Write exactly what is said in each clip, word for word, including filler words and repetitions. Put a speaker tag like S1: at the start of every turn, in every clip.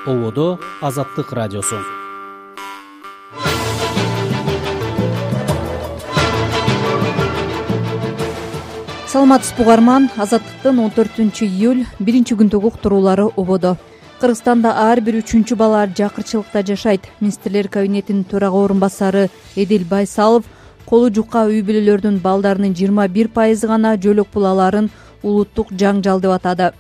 S1: Ободо Азаттык радиосу.
S2: Саламатсызбы угарман, Азаттыктын он төртүнчү июль биринчи күндөгү уктуруулары Ободо. Кыргызстанда ар бир үчүнчү бала жакырчылыкта жашайт. Министрлер кабинетинин төрага орун басары Эдил Байсалов колу жука үй бүлөлөрдүн балдарынын жыйырма бир пайызы гана жөлөк булаларын улуттук жаңжал деп атады.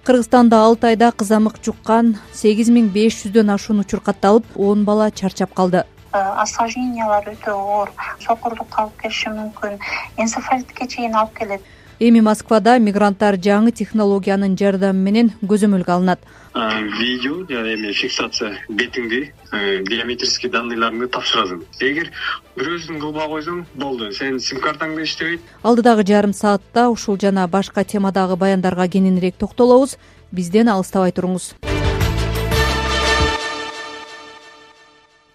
S2: Кыргызстанда алты айда кызамык жуккан сегиз миң беш жүздөн ашуун учур катталып, он бала чарчап калды.
S3: Осложнениялар өтө оор, сокурлукка алып келиши мүмкүн, энцефалитке чейин алып келет.
S2: Эми Москвада мигранттар жаңы технологиянын жардамы менен көзөмөлгө алынат.
S4: Видео жана эми фиксация бетиңди биометрический данныйларыңды тапшырасың. Эгер бирөөсүн кылбай койсоң, болду, сенин сим-картаңды иштебейт.
S2: Алдыдагы жарым саатта ушул жана башка темадагы баяндарга кененирээк токтолобуз. Бизден алыстабай туруңуз.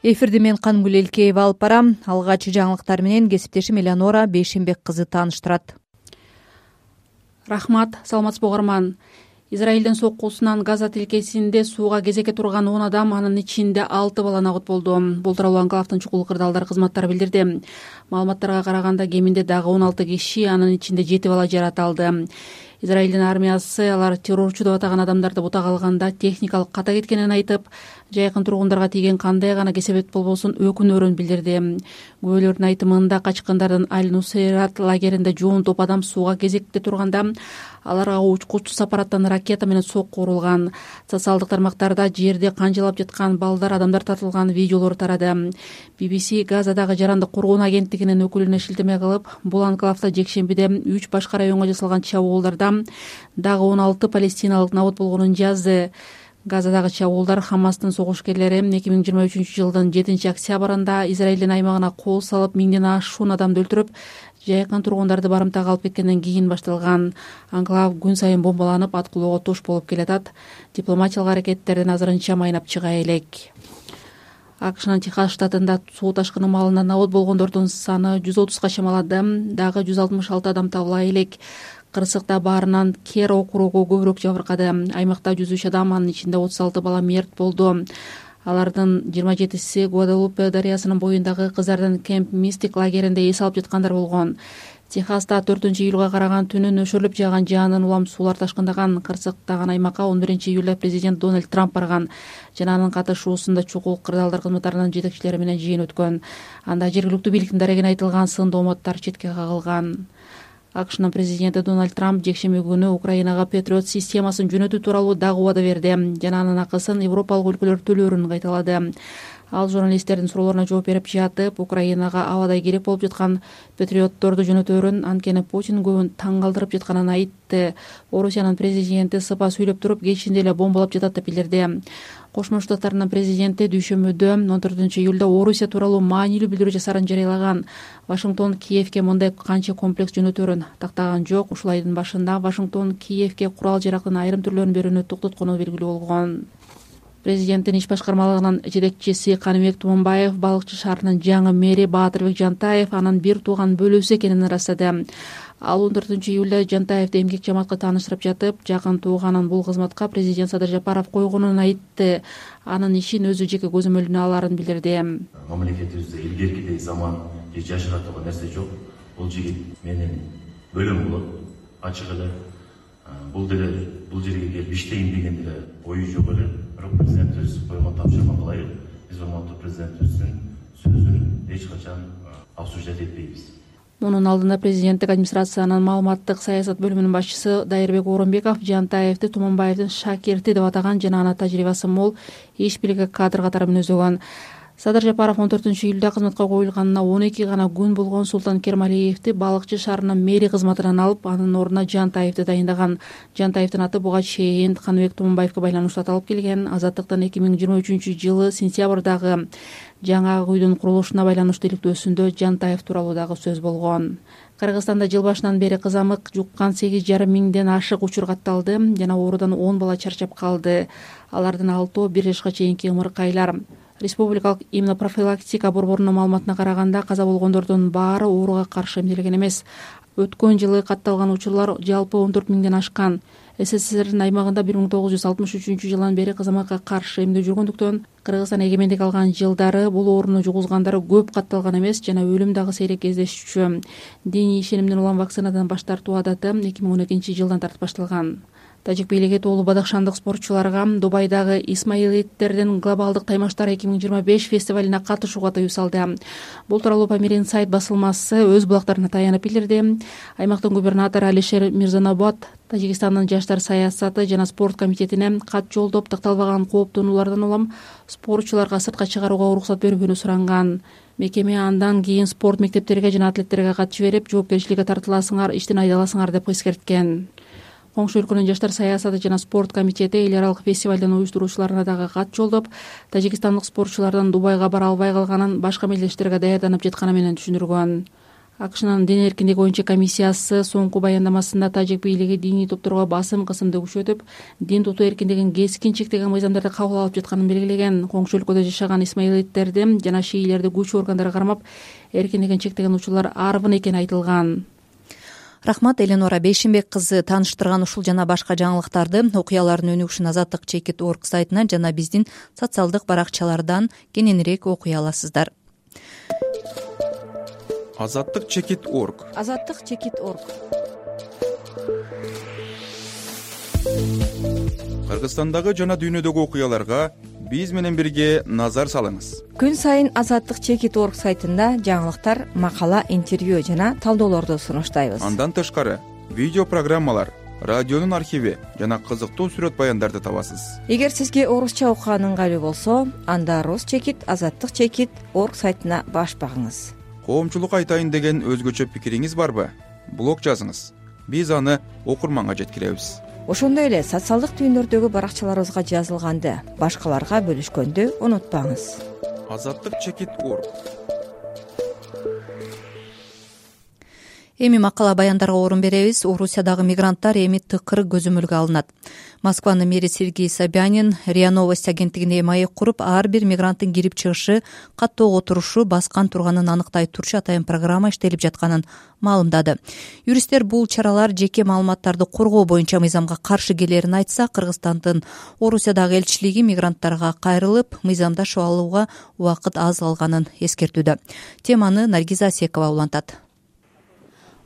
S2: Эфирди мен Кангүл Элкеева алып барам. Алгач жаңылыктар менен кесиптешим Элеонора Бейшенбек кызы тааныштырат.
S5: Рахмат, саламатсызбы угарман. Израилдин соккусунан Газа тилкесинде сууга кезекке турган он адам, анын ичинде алты бала набыт болду. Бул тууралуу Анклавдын чукул кырдаалдар кызматтары билдирди. Маалыматтарга караганда кеминде дагы он алты киши, анын ичинде жети бала жаратылды. Израилдин армиясы алар террорчу деп атаган адамдарды бутага алганда техникалык ката кеткенин айтып, жайкын тургундарга тийген кандай гана кесепет болбосун өкүнөрүн билдирди. Күбөлөрдүн айтымында качкындардын Аль-Нусейрат лагеринде жоон топ адам сууга кезекте турганда аларга учкучсуз аппараттан ракета менен сокку урулган. Социалдык тармактарда жерде канжалап жаткан балдар, адамдар тартылган видеолор тарады. би би си Газадагы жарандык коргоон агенттигинин өкүлүнө шилтеме кылып, бул анклавда жекшембиде үч башка районго жасалган чабуулдарда дагы он алты палестиналык набыт болгонун жазды. Газадагы чабуулдар Хамастын согушкерлери эки миң жыйырма үчүнчү жылдын жетинчи октябрында Израилдин аймагына кол салып, миңден ашуун адамды өлтүрүп, жайкын тургундарды барымтага алып кеткенден кийин башталган. Анклав күн сайын бомбаланып, аткылоого туш болуп келатат. Дипломатиялык аракеттердин азырынча майнап чыга элек. АКШнын Техас штатында суу ташкыны маалында набыт болгондордун саны жүз отузга чамалады. Дагы жүз алтымыш алты адам табыла элек. Кырсыкта баарынан Кер округу көбүрөөк жабыркады. Аймакта жүз үч адам, анын ичинде отуз алты бала мерт болду. Алардын жыйырма жетиси Гваделупе дарыясынын боюндагы кыздардын Кемп Мистик лагеринде эс алып жаткандар болгон. Техаста төртүнчү июлга караган түнү нөшөрлүп жааган жаанын улам суулар ташкындаган. Кырсыктаган аймакка он биринчи июлда президент Дональд Трамп барган. Жана анын катышуусунда чукул кырдаалдар кызматтарынын жетекчилери менен жыйын өткөн. Анда жергиликтүү бийликтин дарегине айтылган сын домоттор четке кагылган. АКШнын президенти Дональд Трамп жекшемби күнү Украинага Патриот системасын жөнөтүү тууралуу дагы убада берди. Жана анын акысын европалык өлкөлөр төлөөрүн кайталады. Ал журналисттердин суроолоруна жооп берип жатып, Украинага абадай керек болуп жаткан патриотторду жөнөтөөрүн, анткени Путин көбүн таң калтырып жатканын айтты. Орусиянын президенти сыпа сүйлөп туруп, кечинде эле бомбалап жатат деп билдирди. Кошмо Штаттардын президенти дүйшөмбүдө он төртүнчү июлда Орусия тууралуу маанилүү билдирүү жасаарын жарыялаган. Вашингтон Киевке мындай канча комплекс жөнөтөөрүн тактаган жок. Ушул айдын башында Вашингтон Киевке курал жарактын айрым түрлөрүн берүүнү токтоткону белгилүү болгон. Президенттин иш башкармалыгынын жетекчиси Каныбек Туманбаев Балыкчы шаарынын жаңы мэри Баатырбек Жантаев анын бир тууган бөлүүсү экенин ырастады. Ал он төртүнчү июлда Жантаевди эмгек жамаатка тааныштырып жатып, жакын тууганын бул кызматка президент Садыр Жапаров койгонун айтты. Анын ишин өзү жеке көзөмөлүнө алаарын билдирди.
S6: Мамлекетибизде илгеркидей заман же жашыратууга нерсе жок. Бул жигит менин бөлөм болот. Ачык эле бул деле бул жерге келип иштейин деген деле ою жок эле. Бирок президентибиз койгон тапшырманы ылайык биз урматтуу президентибиздин сөзүн эч качан обсуждать этпейбиз.
S5: Мунун алдында президенттик администрациянын маалыматтык саясат бөлүмүнүн башчысы Дайырбек Оромбеков Жантаевди Туманбаевдин шакирти деп атаган жана аны тажрыйбасы мол иш билиги кадр катары мүнөзөгөн. Садыр Жапаров он төртүнчү июлда кызматка коюлганына он эки гана күн болгон Султан Кермалиевди Балыкчы шаарынын мэри кызматынан алып, анын ордуна Жантаевди дайындаган. Жантаевдин аты буга чейин Каныбек Туманбаевге байланыштуу аталып келген. Азаттыктын эки миң жыйырма үчүнчү жылы сентябрдагы жаңы үйдүн курулушуна байланыштуу иликтөөсүндө Жантаев тууралуу дагы сөз болгон. Кыргызстанда жыл башынан бери кызамык жуккан сегиз жарым миңден ашык учур катталды. Жана оорудан он бала чарчап калды. Алардын алтоо бир жашка чейинки ымыркайлар. Республикалык иммунопрофилактика борборунун маалыматына караганда каза болгондордун баары ооруга каршы эмделген эмес. Өткөн жылы катталган учурлар жалпы он төрт миңден ашкан. СССРдин аймагында бир миң тогуз жүз алтымыш үчүнчү жылдан бери кызаматка каршы эмдөө жүргөндүктөн Кыргызстан эгемендик алган жылдары бул ооруну жугузгандары көп катталган эмес жана өлүм дагы сейрек кездешчү. Диний ишенимден улам вакцинадан баш тартуу адаты эки миң он экинчи жылдан тартып башталган. Тажик бийлиги тоолуу бадахшандык спортчуларга Дубайдагы Исмаилиттердин глобалдык таймаштар эки миң жыйырма беш фестивалине катышууга тыюу салды. Бул тууралуу Памир сайт басылмасы өз булактарына таянып билдирди. Аймактын губернатору Алишер Мирзанобод Тажикстандын жаштар саясаты жана спорт комитетине кат жолдоп такталбаган кооптонуулардан улам спортчуларга сыртка чыгарууга уруксат берүүнү суранган. Мекеме андан кийин спорт мектептериге жана атлеттерге кат жиберип, жоопкерчиликке тартыласыңар, иштен айдаласыңар деп эскерткен. Коңшу өлкөнүн жаштар саясаты жана спорт комитети эл аралык фестивалдын уюштуруучуларына дагы кат жолдоп, тажикстандык спортчулардын Дубайга бара албай калганын башка мелдештерге даярданып жатканы менен түшүндүргөн. АКШнын дин эркиндиги боюнча комиссиясы соңку баяндамасында тажик бийлиги диний топторго басым кысымды күчөтүп, дин тутуу эркиндигин кескин чектеген мыйзамдарды кабыл алып жатканын белгилеген. Коңшу өлкөдө жашаган исмаилиттерди жана шиилерди күч органдары кармап, эркиндигин чектеген учурлар арбын экени айтылган.
S2: Рахмат, Эленора Бейшимбек кызы тааныштырган ушул жана башка жаңылыктарды окуялардын өнүгүшүн азаттык чекит орг сайтынан жана биздин социалдык баракчалардан кененирээк окуй аласыздар.
S7: азаттык чекит орг
S2: азаттык чекит орг
S7: Кыргызстандагы жана дүйнөдөгү окуяларга биз менен бирге назар салыңыз.
S2: Күн сайын азаттык чекит орг сайтында жаңылыктар, макала, интервью жана талдоолорду сунуштайбыз.
S7: Андан тышкары видео программалар, радионун архиви жана кызыктуу сүрөт баяндарды табасыз.
S2: Эгер сизге орусча окуган ыңгайлуу болсо, анда рус чекит азаттык чекит орг сайтына баш багыңыз.
S7: Коомчулук айтайын деген өзгөчө пикириңиз барбы? Блог жазыңыз. Биз аны окурманга жеткиребиз.
S2: Ошондой эле социалдык түйүндөрдөгү баракчаларыбызга жазылганды башкаларга бөлүшкөндү унутпаңыз.
S7: азаттык чекит орг
S2: Эми макала баяндарга орун беребиз. Орусиядагы мигранттар эми тыкыр көзөмөлгө алынат. Москванын мэри Сергей Собянин РИА Новости агенттигине маек куруп, ар бир мигранттын кирип чыгышы, каттоого турушу баскан турганын аныктай турчу атайын программа иштелип жатканын маалымдады. Юристтер бул чаралар жеке маалыматтарды коргоо боюнча мыйзамга каршы келерин айтса, Кыргызстандын Орусиядагы элчилиги мигранттарга кайрылып, мыйзамдашып алууга убакыт аз калганын эскертүүдө. Теманы Наргиза Асекова улантат.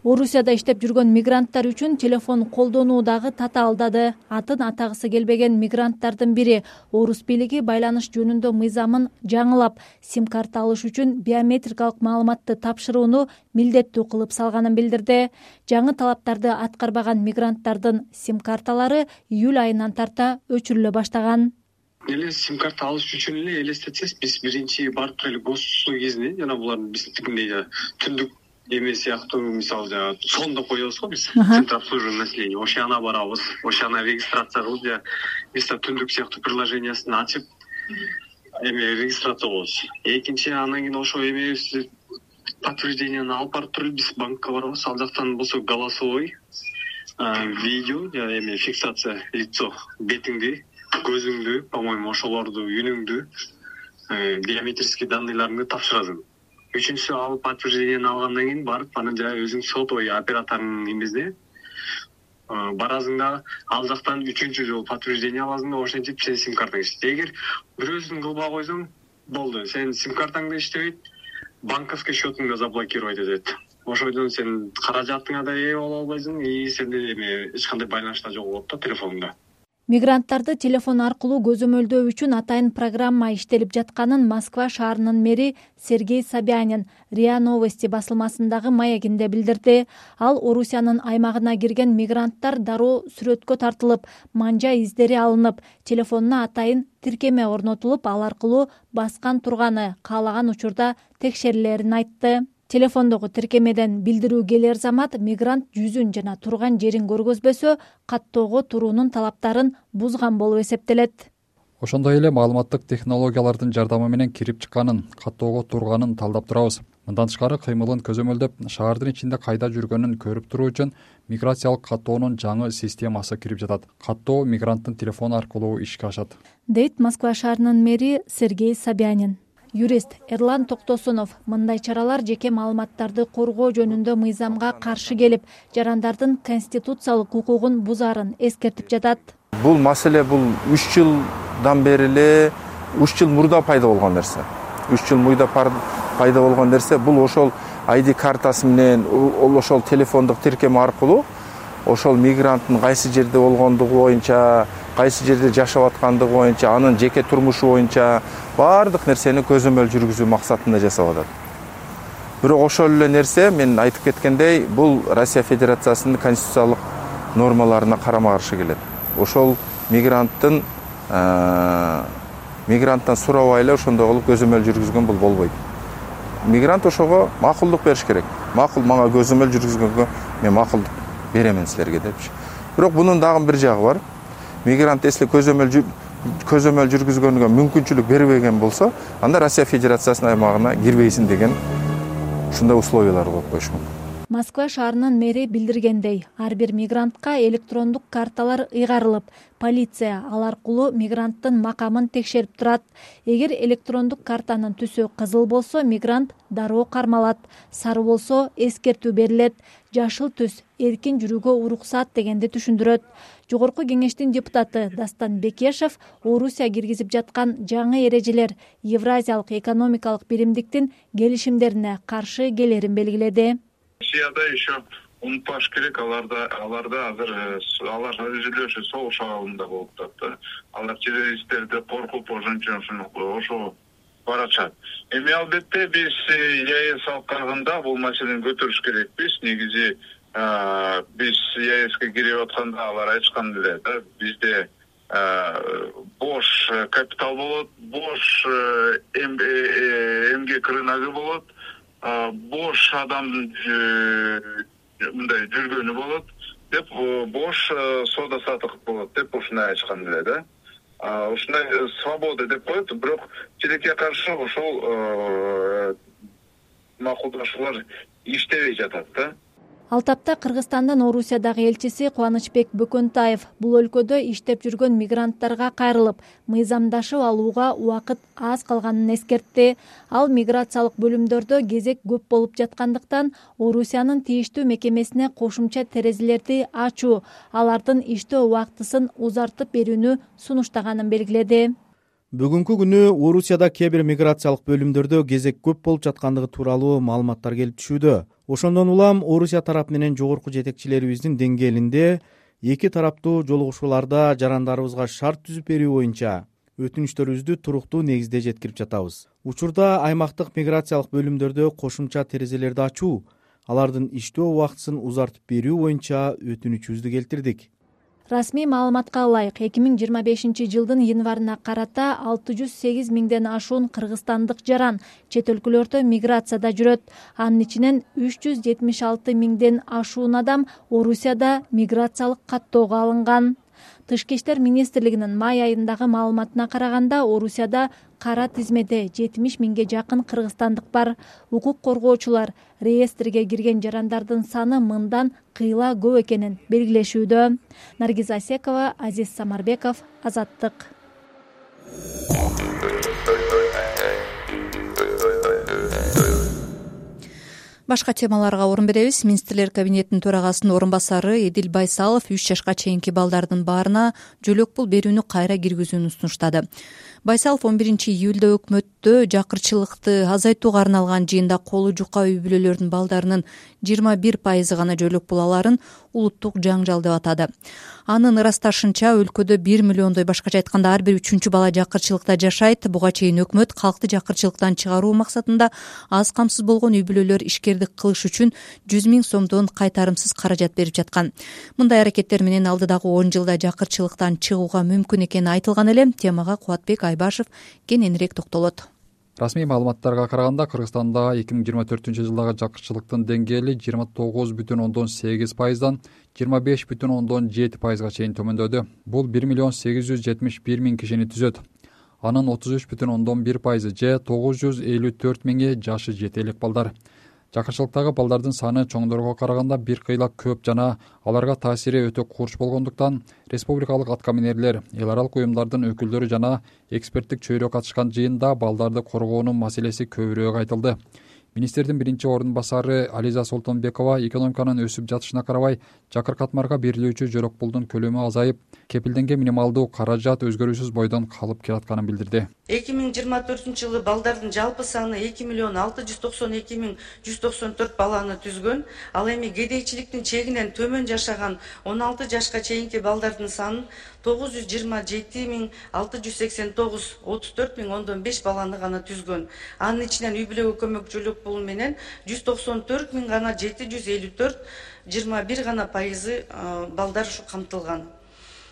S2: Орусияда иштеп жүргөн мигранттар үчүн телефон колдонуу дагы татаалдады. Атын атагысы келбеген мигранттардын бири орус бийлиги байланыш жөнүндө мыйзамын жаңылап, сим-карта алыш үчүн биометрикалык маалыматты тапшырууну милдеттүү кылып салганын билдирди. Жаңы талаптарды аткарбаган мигранттардын сим-карталары июль айынан тарта өчүрүлө баштаган.
S4: Эле сим-карта алыш үчүн эле элестетсек, биз биринчи барып эле госуслуг кезинде жана булардын биздикиндей түндүк эме сыяктуу, мисалы жана сонду коебуз го биз центр обслуживания населения, ошана барабыз, ошана регистрация кылып же мисалы түндүк сыяктуу приложениясын ачып эме регистрация кылабыз. Экинчи андан кийин ошо эмебизди подтвержденияны алып барып туруп биз банкка барабыз. Ал жактан болсо голосовой видео же эме фиксация лицо, бетиңди, көзүңдү, по-моему, ошолорду, үнүңдү, биометрический данныйларыңды тапшырасың. Үчүнчүсү алып подтвержденияны алгандан кийин барып анан жана өзүң сотовый операторунун эмесине барасың да ал жактан үчүнчү жолу подтверждение аласың да ошентип сенин сим-картаң иштейт. Эгер бирөөсүн кылбай койсоң, болду. Сенин сим-картаң да иштебейт, банковский счетуң да заблокировать этет. Ошондон сен каражатыңа да ээ боло албайсың, и сенде эме эч кандай байланыш да жок болот да телефонуңда.
S2: Мигранттарды телефон аркылуу көзөмөлдөө үчүн атайын программа иштелип жатканын Москва шаарынын мэри Сергей Собянин РИА Новости басылмасындагы маегинде билдирди. Ал Орусиянын аймагына кирген мигранттар дароо сүрөткө тартылып, манжа издери алынып, телефонуна атайын тиркеме орнотулуп, ал аркылуу баскан турганы каалаган учурда текшерилерин айтты. Телефондогу тиркемеден билдирүү келер замат мигрант жүзүн жана турган жерин көргөзбөсө, каттоого туруунун талаптарын бузган болуп эсептелет.
S8: Ошондой эле маалыматтык технологиялардын жардамы менен кирип чыкканын, каттоого турганын талдап турабыз. Мындан тышкары кыймылын көзөмөлдөп, шаардын ичинде кайда жүргөнүн көрүп туруу үчүн миграциялык каттоонун жаңы системасы кирип жатат. Каттоо мигранттын телефону аркылуу ишке ашат,
S2: дейт Москва шаарынын мэри Сергей Собянин. Юрист Эрлан Токтосунов мындай чаралар жеке маалыматтарды коргоо жөнүндө мыйзамга каршы келип, жарандардын конституциялык укугун бузаарын эскертип жатат.
S9: Бул маселе бул үч жылдан бери эле үч жыл мурда пайда болгон нерсе. үч жыл мурда пайда болгон нерсе. Бул ошол ай ди картасы менен, ошол телефондук тиркем аркылуу ошол мигранттын кайсы жерде болгондугу боюнча, кайсы жерде жашап аткандыгы боюнча, анын жеке турмушу боюнча баардык нерсени көзөмөл жүргүзүү максатында жасап атат. Бирок ошол эле нерсе, мен айтып кеткендей, бул Россия Федерациясынын конституциялык нормаларына карама-каршы келет. Ошол мигранттын мигранттан сурабай эле ошондой кылып көзөмөл жүргүзгөн бул болбойт. Мигрант ошого макулдук бериш керек. Макул мага көзөмөл жүргүзгөнгө мен макулдук беремин силерге депчи. Бирок бунун дагы бир жагы бар. Мигрант эсли көзөмөл көзөмөл жүргүзгөнгө мүмкүнчүлүк бербеген болсо, анда Россия Федерациясынын аймагына кирбейсиң деген ушундай условиялар коюп коюш мүмкүн.
S2: Москва шаарынын мэри билдиргендей, ар бир мигрантка электрондук карталар ыйгарылып, полиция ал аркылуу мигранттын макамын текшерип турат. Эгер электрондук картанын түсү кызыл болсо, мигрант дароо кармалат, сары болсо эскертүү берилет, жашыл түс эркин жүрүүгө уруксат дегенди түшүндүрөт. Жогорку кеңештин депутаты Дастан Бекешев Орусия киргизип жаткан жаңы эрежелер Евразиялык экономикалык биримдиктин келишимдерине каршы келерин белгиледи.
S10: Россияда еще унутпаш керек, аларда аларда азыр алар өзүлөшү согуш абалында болуп атат. Алар террористтерди коркуп ошончо ошо барачат. Эми албетте биз ЕАЭС алкагында бул маселени көтөрүш керекпиз. Негизи биз ЕАЭСке кирип атканда алар айткан эле да, бизде бош капитал болот, бош эмгек рыногу болот, бош адамдын мындай жүргөнү болот деп, бош соода саттык болот деп ушундай айткан эле да. Ушундай свобода деп коет, бирок тилекке каршы ошол макулдашуулар иштебей жатат да.
S2: Ал тапта Кыргызстандын Орусиядагы элчиси Кубанычбек Бөкөнтаев бул өлкөдө иштеп жүргөн мигранттарга кайрылып, мыйзамдашып алууга убакыт аз калганын эскертти. Ал миграциялык бөлүмдөрдө кезек көп болуп жаткандыктан Орусиянын тийиштүү мекемесине кошумча терезелерди ачуу, алардын иштөө убактысын узартып берүүнү сунуштаганын белгиледи.
S1: Бүгүнкү күнү Орусияда кээ бир миграциялык бөлүмдөрдө кезек көп болуп жаткандыгы тууралуу маалыматтар келип түшүүдө. Ошондон улам Орусия тарап менен жогорку жетекчилерибиздин деңгээлинде эки тараптуу жолугушууларда жарандарыбызга шарт түзүп берүү боюнча өтүнүчтөрүбүздү туруктуу негизде жеткирип жатабыз. Учурда аймактык миграциялык бөлүмдөрдө кошумча терезелерди ачуу, алардын иштөө убактысын узартып берүү боюнча өтүнүчүбүздү келтирдик.
S2: Расмий маалыматка ылайык, эки миң жыйырма бешинчи жылдын январына карата алты жүз сегиз миңден ашуун кыргызстандык жаран чет өлкөлөрдө миграцияда жүрөт. Анын ичинен үч жүз жетимиш алты миңден ашуун адам Орусияда миграциялык каттоого алынган. Тышкы иштер министрлигинин май айындагы маалыматына караганда, Орусияда кара тизмеде жетимиш миңге жакын кыргызстандык бар. Укук коргоочулар реестрге кирген жарандардын саны мындан кыйла көп экенин белгилешүүдө. Наргиз Асекова, Азиз Самарбеков, Азаттык. Башка темаларга орун беребиз. Министрлер кабинетинин төрагасынын орун басары Эдил Байсалов үч жашка чейинки балдардын баарына жөлөк пул берүүнү кайра киргизүүнү сунуштады. Байсалов он биринчи июлда өкмөттө жакырчылыкты азайтууга арналган жыйында колу жука үй бүлөлөрдүн балдарынын жыйырма бир пайызы гана жөлөк пул аларын улуттук жаңжал деп атады. Анын ырасташынча, өлкөдө бир миллиондой, башкача айтканда ар бир үчүнчү бала жакырчылыкта жашайт. Буга чейин өкмөт калкты жакырчылыктан чыгаруу максатында аз камсыз болгон үй бүлөлөр ишкердик кылыш үчүн жүз миң сомдон кайтарымсыз каражат берип жаткан. Мындай аракеттер менен алдыдагы он жылда жакырчылыктан чыгууга мүмкүн экени айтылган эле. Темага Кубатбек Айбашев кененирээк токтолот.
S8: Расмий маалыматтарга караганда, Кыргызстанда эки миң жыйырма төртүнчү жылдагы жакырчылыктын деңгээли жыйырма тогуз бүтүн ондон сегиз пайыздан жыйырма беш бүтүн ондон жети пайызга чейин төмөндөдү. Бул бир миллион сегиз жүз жетимиш бир миң кишини түзөт. Анын отуз үч бүтүн ондон бир пайызы же тогуз жүз элүү төрт миңи жашы жете элек балдар. жакырчылыктагы балдардын саны чоңдорго караганда бир кыйла көп жана аларга таасири өтө курч болгондуктан республикалык аткаминерлер, эл аралык уюмдардын өкүлдөрү жана эксперттик чөйрө катышкан жыйында балдарды коргоонун маселеси көбүрөөк айтылды. Министрдин биринчи орун басары Ализа Солтонбекова экономиканын өсүп жатышына карабай жакыр катмарга берилүүчү жөлөк пулдун көлөмү азайып, кепилденген минималдуу каражат өзгөрүүсүз бойдон калып келатканын билдирди.
S11: эки миң жыйырма төртүнчү жылы балдардын жалпы саны эки миллион алты жүз токсон эки миң жүз токсон төрт баланы түзгөн. Ал эми кедейчиликтин чегинен төмөн жашаган он алты жашка чейинки балдардын саны тогуз жүз жыйырма жети миң алты жүз сексен тогуз, отуз төрт миң ондон беш баланы гана түзгөн. Анын ичинен үй бүлөгө көмөк жөлөк пулу менен жүз токсон төрт миң гана жети жүз элүү төрт, жыйырма бир гана пайызы балдар ушу камтылган.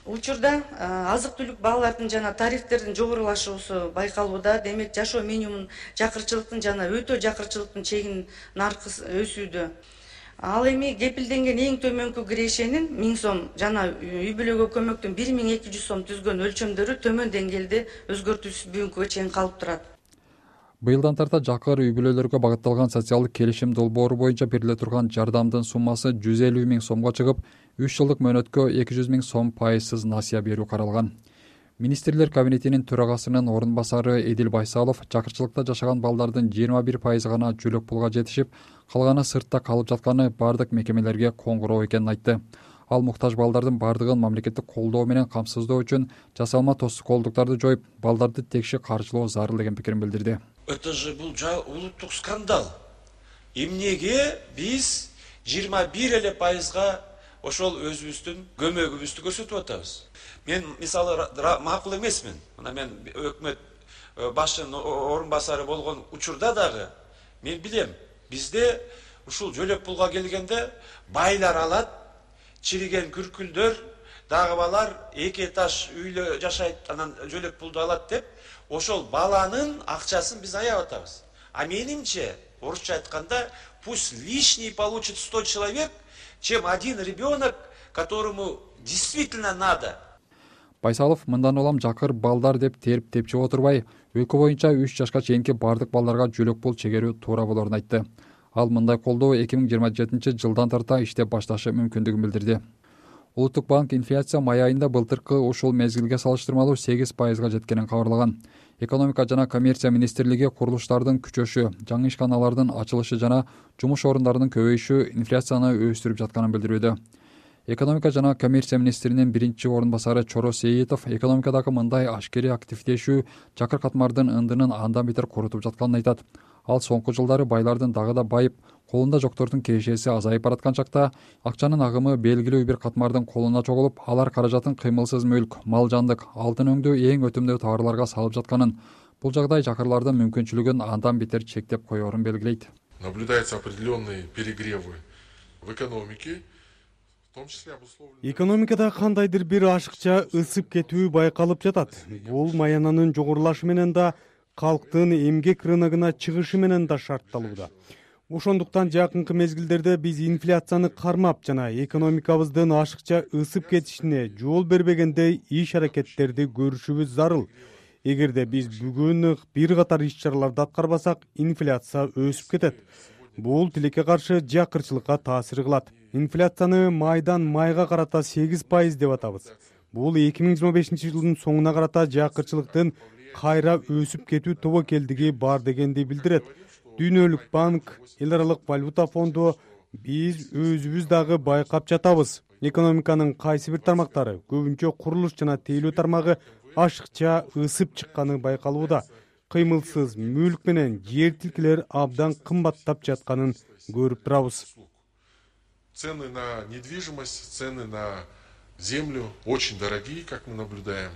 S11: Учурда азык түлүк баалардын жана тарифтердин жогорулашуусу байкалууда. Демек жашоо минимумун жакырчылыктын жана өтө жакырчылыктын чегинин наркы өсүүдө. Ал эми кепилденген эң төмөнкү кирешенин миң сом жана үй бүлөгө көмөктүн бир миң эки жүз сом түзгөн өлчөмдөрү төмөн деңгээлде өзгөртүүсүз бүгүнкүгө чейин калып турат.
S8: Быйылдан тарта жакыр үй бүлөлөргө багытталган социалдык келишим долбоору боюнча бериле турган жардамдын суммасы жүз элүү миң сомго чыгып, үч жылдык мөөнөткө эки жүз миң сом пайызсыз насыя берүү каралган. Министрлер кабинетинин төрагасынын орун басары Эдил Байсалов жакырчылыкта жашаган балдардын жыйырма бир пайызы гана жөлөк пулга жетишип, калганы сыртта калып жатканы бардык мекемелерге коңгуроо экенин айтты. Ал муктаж балдардын бардыгын мамлекеттик колдоо менен камсыздоо үчүн жасалма тоскоолдуктарды жоюп, балдарды текши каржылоо зарыл деген пикирин билдирди.
S12: Это же бул улуттук скандал. Эмнеге биз жыйырма бир эле пайызга ошол өзүбүздүн көмөгүбүздү көрсөтүп атабыз? Мен мисалы макул эмесмин. Мына мен өкмөт башчынын орун басары болгон учурда дагы мен билем, бизде ушул жөлөк пулга келгенде байлар алат, чириген күркүлдөр, дагы балар эки этаж үйлө жашайт, анан жөлөк пулду алат деп, ошол баланын акчасын биз аяп атабыз. А менимче, орусча айтканда, пусть лишний получит сто человек, чем один ребенок, которому действительно надо.
S8: Байсалов мындан улам жакыр балдар деп терип тепчип отурбай, өлкө боюнча үч жашка чейинки бардык балдарга жөлөк пул чегерүү туура болорун айтты. Ал мындай колдоо эки миң жыйырма жетинчи жылдан тарта иштеп башташы мүмкүндүгүн билдирди. Улуттук банк инфляция май айында былтыркы ушул мезгилге салыштырмалуу сегиз пайызга жеткенин кабарлаган. Экономика жана коммерция министрлиги курулуштардын күчөшү, жаңы ишканалардын ачылышы жана жумуш орундарынын көбөйүшү инфляцияны өстүрүп жатканын билдирүүдө. Экономика жана коммерция министринин биринчи орун басары Чоро Сейитов экономикадагы мындай ашкери активдешүү жакыр катмардын ындынын андан бетер корутуп жатканын айтат. Ал соңку жылдары байлардын дагы да байып, колунда жоктордун кирешеси азайып бараткан чакта акчанын агымы белгилүү бир катмардын колуна чогулуп, алар каражатын кыймылсыз мүлк, мал жандык, алтын өңдүү эң өтүмдүү товарларга салып жатканын, бул жагдай жакырлардын мүмкүнчүлүгүн андан бетер чектеп коерун белгилейт.
S13: Наблюдаются определенные перегревы в экономике.
S14: Экономикада кандайдыр бир ашыкча ысып кетүү байкалып жатат. Бул маянанын жогорулашы менен да, калктын эмгек рыногуна чыгышы менен да шартталууда. Ошондуктан жакынкы мезгилдерде биз инфляцияны кармап жана экономикабыздын ашыкча ысып кетишине жол бербегендей иш аракеттерди көрүшүбүз зарыл. Эгерде биз бүгүн бир катар иш чараларды аткарбасак, инфляция өсүп кетет. Бул тилекке каршы жакырчылыкка таасир кылат. Инфляцияны майдан майга карата сегиз пайыз деп атабыз. Бул эки миң жыйырма бешинчи жылдын соңуна карата жакырчылыктын кайра өсүп кетүү тобокелдиги бар дегенди билдирет. Дүйнөлүк банк, эл аралык валюта фонду, биз өзүбүз дагы байкап жатабыз. Экономиканын кайсы бир тармактары, көбүнчө курулуш жана тейлөө тармагы ашыкча ысып чыкканы байкалууда. Кыймылсыз мүлк менен жер тилкелер абдан кымбаттап жатканын көрүп турабыз.
S13: Цены на недвижимость, цены на землю очень дорогие, как мы наблюдаем.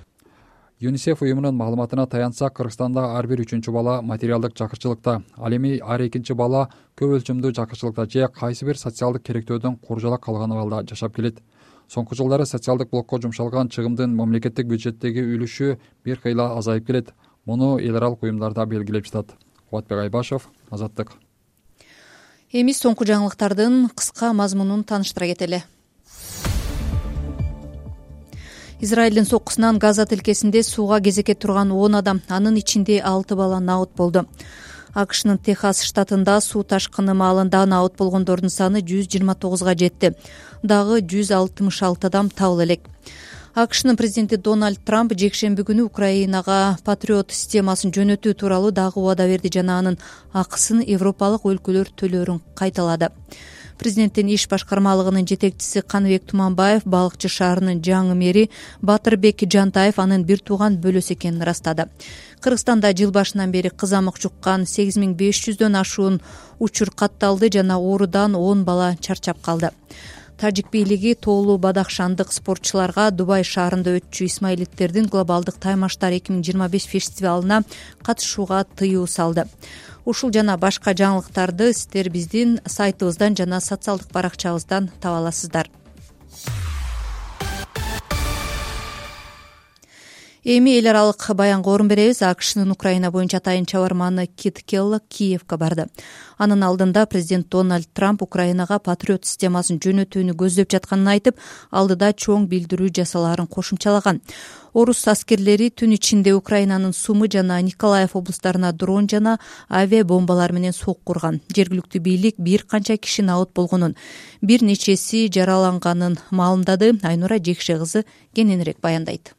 S8: ЮНИСЕФ уюмунун маалыматына таянсак, Кыргызстанда ар бир үчүнчү бала материалдык жакырчылыкта, ал эми ар экинчи бала көп өлчөмдүү жакырчылыкта же кайсы бир социалдык керектөөдөн куржалак калган абалда жашап келет. Соңку жылдары социалдык блокко жумшалган чыгымдын мамлекеттик бюджеттеги үлүшү бир кыйла азайып келет. Муну эл аралык уюмдарда белгилеп жатат. Кубатбек Айбашев, Азаттык.
S2: Эми соңку жаңылыктардын кыска мазмунун тааныштыра кетели. Израилдин соккусунан Газа тилкесинде сууга кезекке турган он адам, анын ичинде алты бала набыт болду. акшнын Техас штатында суу ташкыны маалында наут болгондордун саны жүз жыйырма тогузга жетти. Дагы жүз алтымыш алты адам табыла элек. акшнын президенти Дональд Трамп жекшемби күнү Украинага Патриот системасын жөнөтүү тууралуу дагы убада берди жана анын акысын европалык өлкөлөр төлөөрүн кайталады. Президенттин иш башкармалыгынын жетекчиси Каныбек Туманбаев Балыкчы шаарынын жаңы мэри Батырбек Жантаев анын бир тууган бөлөсү экенин ырастады. Кыргызстанда жыл башынан бери кызамык жуккан сегиз миң беш жүздөн ашуун учур катталды жана оорудан он бала чарчап калды. Тажик бийлиги тоолуу бадахшандык спортчуларга Дубай шаарында өтчү исмаилиттердин глобалдык таймаштар эки миң жыйырма беш фестивалына катышууга тыюу салды. Ушул жана башка жаңылыктарды сиздер биздин сайтыбыздан жана социалдык баракчабыздан таба аласыздар. Эми эл аралык баянга орун беребиз. акшнын Украина боюнча атайын чабарманы Кит Келлог Киевге барды. Анын алдында президент Дональд Трамп Украинага Патриот системасын жөнөтүүнү көздөп жатканын айтып, алдыда чоң билдирүү жасалаарын кошумчалаган. Орус аскерлери түн ичинде Украинанын Сумы жана Николаев облустарына дрон жана авиа бомбалар менен сок курган. Жергиликтүү бийлик бир канча киши наут болгонун, бир нечеси жараланганын маалымдады. Айнура Жекше кызы кененирээк баяндайт.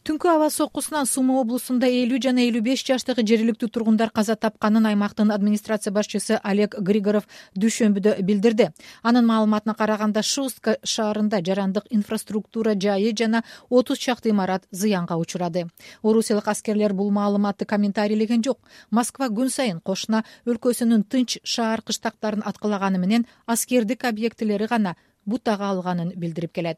S15: Түнкү аба соккусунан Сумы облусунда элүү жана элүү беш жаштагы жергиликтүү тургундар каза тапканын аймактын администрация башчысы Олег Григоров дүйшөмбүдө билдирди. Анын маалыматына караганда Шустка шаарында жарандык инфраструктура жайы жана отуз чакты имарат зыянга учурады. Орусиялык аскерлер бул маалыматты комментарийлеген жок. Москва күн сайын кошуна өлкөсүнүн тынч шаар кыштактарын аткылаганы менен аскердик объектилери гана бутага алганын билдирип келет.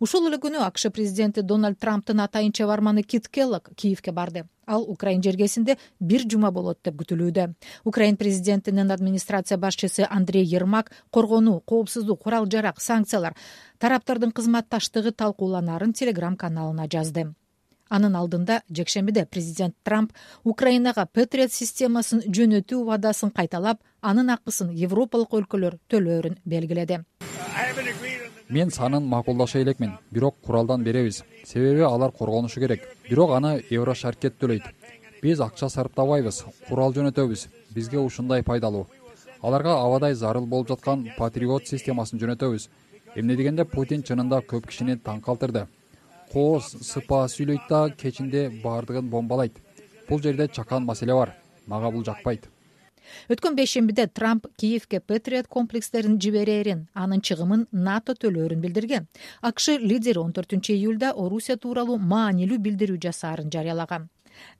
S15: Ушул эле күнү АКШ президенти Дональд Трамптын атайын чабарманы Кит Келлог Киевге барды. Ал Украин жергесинде бир жума болот деп күтүлүүдө. Украин президентинин администрация башчысы Андрей Ермак коргонуу, коопсуздук, курал-жарак, санкциялар, тараптардын кызматташтыгы талкууланаарын Телеграм каналына жазды. Анын алдында жекшембиде президент Трамп Украинага Патриот системасын жөнөтүү убадасын кайталап, анын акысын европалык өлкөлөр төлөөрүн белгиледи.
S8: Мен санын макулдаша элекмин, бирок куралдан беребиз. Себеби алар коргонушу керек. Бирок аны Еврошаркет төлөйт. Биз акча сарптабайбыз, курал жөнөтөбүз. Бизге ушундай пайдалуу. Аларга абадай зарыл болуп жаткан Патриот системасын жөнөтөбүз. Эмне дегенде Путин чынында көп кишини таң калтырды. Коо сыпа сүйлөйт да кечинде баардыгын бомбалайт. Бул жерде чакан маселе бар. Мага бул жакпайт.
S15: Өткөн бейшембиде Трамп Киевге Патриот комплекстерин жиберерин, анын чыгымын НАТО төлөөрүн билдирген. АКШ лидери он төртүнчү июлда Орусия тууралуу маанилүү билдирүү жасаарын жарыялаган.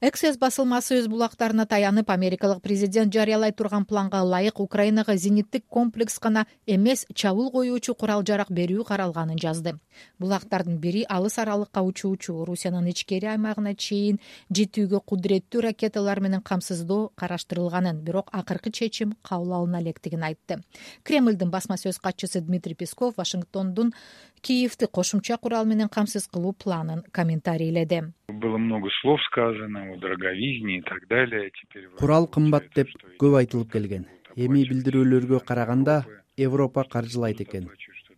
S15: Эксес басылмасы өз булактарына таянып, америкалык президент жарыялай турган планга ылайык Украинага зениттик комплекс гана эмес, чабуул коюучу курал-жарак берүү каралганын жазды. Булактардын бири алыс аралыкка учуучу, Орусиянын ичкери аймагына чейин жетүүгө кудуреттүү ракеталар менен камсыздоо караштырылганын, бирок акыркы чечим кабыл алына электигин айтты. Кремлдин басма сөз катчысы Дмитрий Песков Вашингтондун Киевти кошумча курал менен камсыз кылуу планын комментарийледи.
S16: Было много слов сказано о дороговизне и так далее.
S1: Курал кымбат деп көп айтылып келген. Эми билдирүүлөргө караганда Европа каржылайт экен.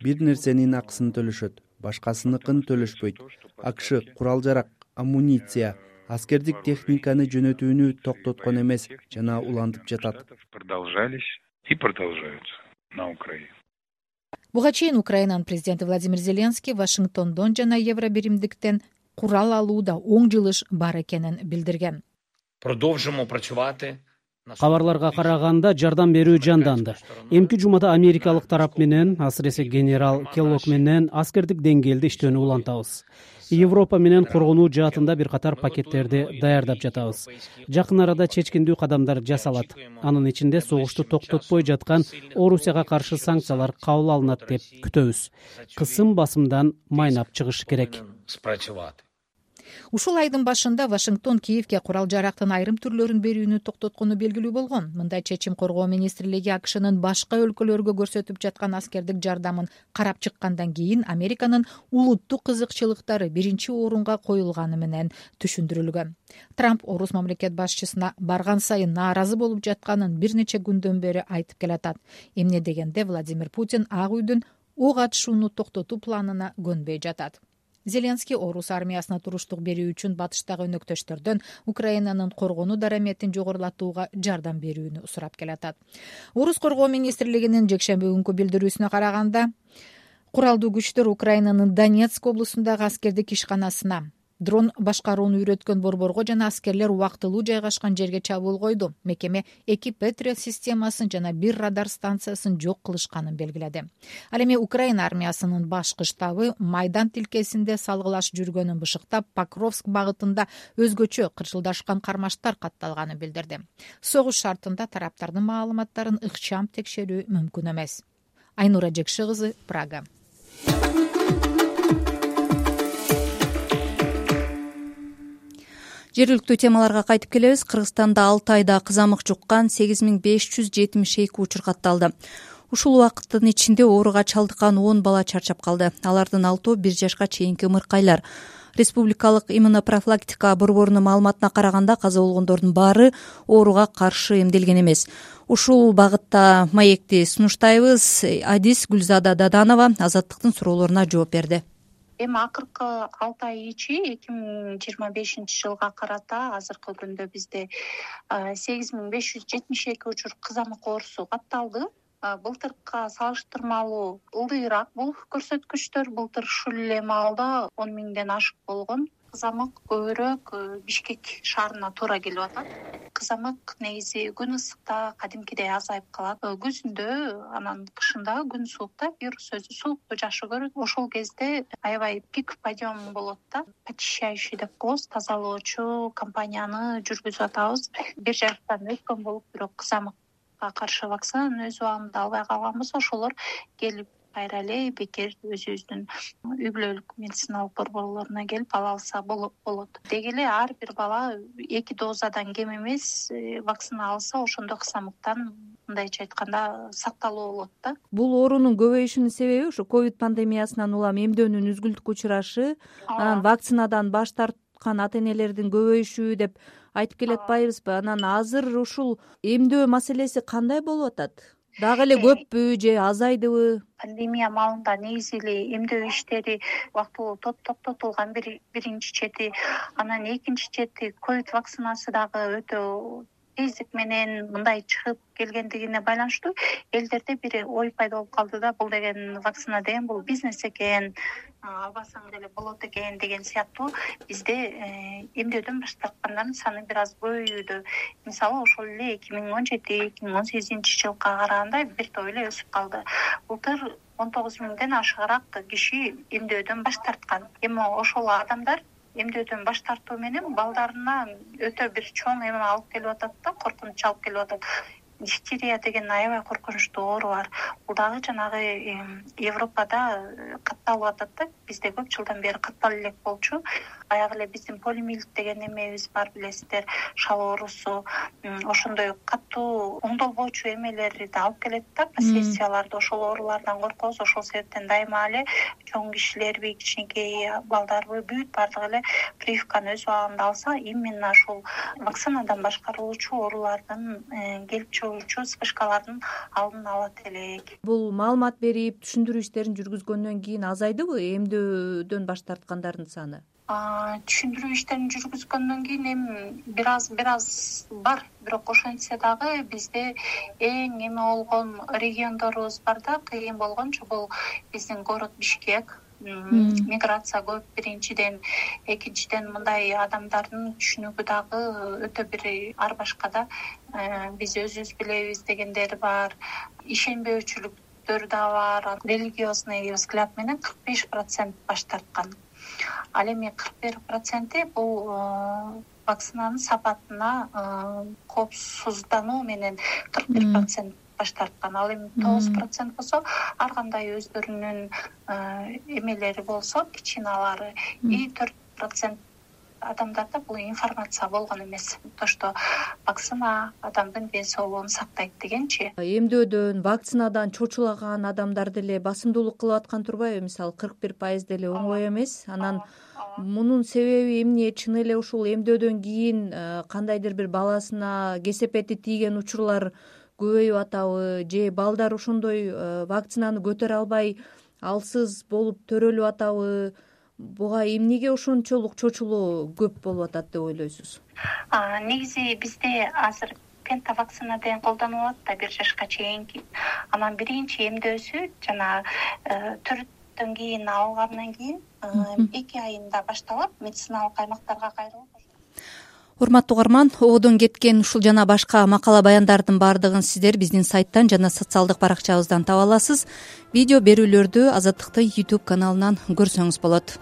S1: Бир нерсенин акысын төлөшөт, башкасыныкын төлөшпөйт. АКШ курал-жарак, амуниция, аскердик техниканы жөнөтүүнү токтоткон эмес жана улантып жатат.
S16: Продолжались и продолжаются на Украине.
S15: Буга чейин Украинанын президенти Владимир Зеленский Вашингтондон жана Евробиримдиктен курал алууда оң жылыш бар экенин билдирген.
S17: Продолжимо працювати.
S18: Кабарларга караганда жардам берүү жанданды. Эмки жумада америкалык тарап менен, асыресе генерал Келлог менен аскердик деңгээлде иштөөнү улантабыз. Европа менен коргонуу жаатында бир катар пакеттерди даярдап жатабыз. Жакын арада чечкиндүү кадамдар жасалат. Анын ичинде согушту токтотпой жаткан Орусияга каршы санкциялар кабыл алынат деп күтөбүз. Кысым басымдан майнап чыгыш керек.
S15: Ушул айдын башында Вашингтон Киевге курал-жарактын айрым түрлөрүн берүүнү токтоткону белгилүү болгон. Мындай чечим коргоо министрлиги АКШнын башка өлкөлөргө көрсөтүп жаткан аскердик жардамын карап чыккандан кийин Американын улуттук кызыкчылыктары биринчи орунга коюлганы менен түшүндүрүлгөн. Трамп орус мамлекет башчысына барган сайын нааразы болуп жатканын бир нече күндөн бери айтып келатат. Эмне дегенде Владимир Путин Ак үйдүн ок атышууну токтотуу планына көнбөй жатат. Зеленский орус армиясына туруштук берүү үчүн батыштагы өнөктөштөрдөн Украинанын коргонуу дараметин жогорулатууга жардам берүүнү сурап келатат. Орус коргоо министрлигинин жекшемби күнкү билдирүүсүнө караганда, куралдуу күчтөр Украинанын Донецк облусундагы аскердик ишканасына дрон башкарууну үйрөткөн борборго жана аскерлер убактылуу жайгашкан жерге чабуул койду. Мекеме эки Патриот системасын жана бир радар станциясын жок кылышканын белгиледи. Ал эми Украина армиясынын башкы штабы Майдан тилкесинде салгылаш жүргөнүн бышыктап, Покровск багытында өзгөчө кырчылдашкан кармаштар катталганын билдирди. Согуш шартында тараптардын маалыматтарын ыкчам текшерүү мүмкүн эмес. Айнура Жекши кызы, Прага.
S2: Жергиликтүү темаларга кайтып келебиз. Кыргызстанда алты айда кызамык жуккан сегиз миң беш жүз жетимиш эки учур катталды. Ушул убакыттын ичинде ооруга чалдыккан он бала чарчап калды. Алардын алтоо бир жашка чейинки ымыркайлар. Республикалык иммунопрофилактика борборунун маалыматына караганда, каза болгондордун баары ооруга каршы эмделген эмес. Ушул багытта маекти сунуштайбыз. Адис Гүлзада Даданова Азаттыктын суроолоруна жооп берди.
S3: Эми акыркы алты ай ичи эки миң жыйырма бешинчи жылга карата азыркы күндө бизде сегиз миң беш жүз жетимиш эки учур кызамык оорусу катталды. Былтыркыга салыштырмалуу ылдыйраак бул көрсөткүчтөр. Былтыр ушул эле маалда он миңден ашык болгон. Кызамык көбүрөөк Бишкек шаарына туура келип атат. Кызамык негизи күн ысыкта кадимкидей азайып калат. Күзүндө, анан кышында күн суукта вирус өзү суукту жакшы көрөт. Ошол кезде аябай пик подъем болот да. Очищающий деп коебуз, тазалоочу компанияны жүргүзүп атабыз. Бир жактан өткөн болуп, бирок кызамыкка каршы вакцинаны өз убагында албай калганбыз. Ошолор келип кайра эле бекер өзүбүздүн үй бүлөлүк медициналык борборлоруна келип ала алса болот. Деги эле ар бир бала эки дозадан кем эмес вакцина алса, ошондо кызамыктан мындайча айтканда сакталуу болот да.
S2: Бул оорунун көбөйүшүнүн себеби ушу ковид пандемиясынан улам эмдөөнүн үзгүлтүккө учурашы, анан вакцинадан баш тарткан ата энелердин көбөйүшү деп айтып келе атпайбызбы? Анан азыр ушул эмдөө маселеси кандай болуп атат? Дагы эле көппү же азайдыбы?
S3: Пандемия маалында негизи эле эмдөө иштери убактылуу токтотулган биринчи чети. Анан экинчи чети ковид вакцинасы дагы өтө тездик менен мындай чыгып келгендигине байланыштуу элдерде бир ой пайда болуп калды да, бул деген вакцина деген бул бизнес экен, албасаң деле болот экен деген сыяктуу бизде эмдөөдөн баш тарткандардын саны бир аз көбөйүүдө. Мисалы ошол эле эки миң он жети эки миң он сегизинчи жылга караганда бир топ эле өсүп калды. Былтыр он тогуз миңден ашыгыраак киши эмдөөдөн баш тарткан. Эми ошол адамдар эмдөөдөн баш тартуу менен балдарына өтө бир чоң эме алып келип атат да, коркунуч алып келип атат. Дифтерия деген аябай коркунучтуу оору бар. Бул дагы жанагы Европада катталып атат да. Бизде көп жылдан бери катталып элек болчу. Аяк эле биздин полимилит деген эмебиз бар, билесиздер, шал оорусу. Ошондой катуу оңдолбоочу эмелерди да алып келет да, последствияларды. Ошол оорулардан коркобуз. Ошол себептен дайыма эле чоң кишилерби, кичинекей балдарбы, бүт баардыгы эле прививканы өз убагында алса, именно ушул вакцинадан башкарылуучу оорулардын келип чыгуучу вспышкалардын алдын алат элек.
S2: Бул маалымат берип, түшүндүрүү иштерин жүргүзгөндөн кийин азайдыбы эмдөөдөн баш тарткандардын саны?
S3: Түшүндүрүү иштерин жүргүзгөндөн кийин эми бир аз бир аз бар, бирок ошентсе дагы бизде эң эме болгон региондорубуз бар да, кыйын болгончу бул биздин город Бишкек. Миграция көп биринчиден, экинчиден мындай адамдардын түшүнүгү дагы өтө бир ар башка да. Биз өзүбүз билебиз дегендер бар, ишенбөөчүлүктөр да бар. Религиозный взгляд менен кырк беш процент баш тарткан. Ал эми кырк бир проценти бул вакцинанын сапатына коопсуздануу менен кырк бир процент баш тарткан. Ал эми тогуз процент болсо, ар кандай өздөрүнүн эмелери болсо, причиналары, и төрт процент адамдарда бул информация болгон эмес. То, что вакцина адамдын ден соолугун сактайт дегенчи.
S2: Эмдөөдөн, вакцинадан чочулаган адамдар деле басымдуулук кылып аткан турбайбы? Мисалы кырк бир пайыз деле оңой эмес. Анан мунун себеби эмне? Чын эле ушул эмдөөдөн кийин кандайдыр бир баласына кесепети тийген учурлар көбөйүп атабы, же балдар ошондой вакцинаны көтөрө албай алсыз болуп төрөлүп атабы? буга эмнеге ошончолук чочулоо көп болуп атат деп ойлойсуз?
S3: Негизи бизде азыр пентавакцина деген колдонулуп атат да, бир жашка чейинки. Анан биринчи эмдөөсү жана төрттөн кийин алгандан кийин эки айында башталып медициналык аймактарга кайрылып.
S2: Урматтуу угарман, ободон кеткен ушул жана башка макала баяндардын баардыгын сиздер биздин сайттан жана социалдык баракчабыздан таба аласыз. Видео берүүлөрдү Азаттыктын YouTube каналынан көрсөңүз болот.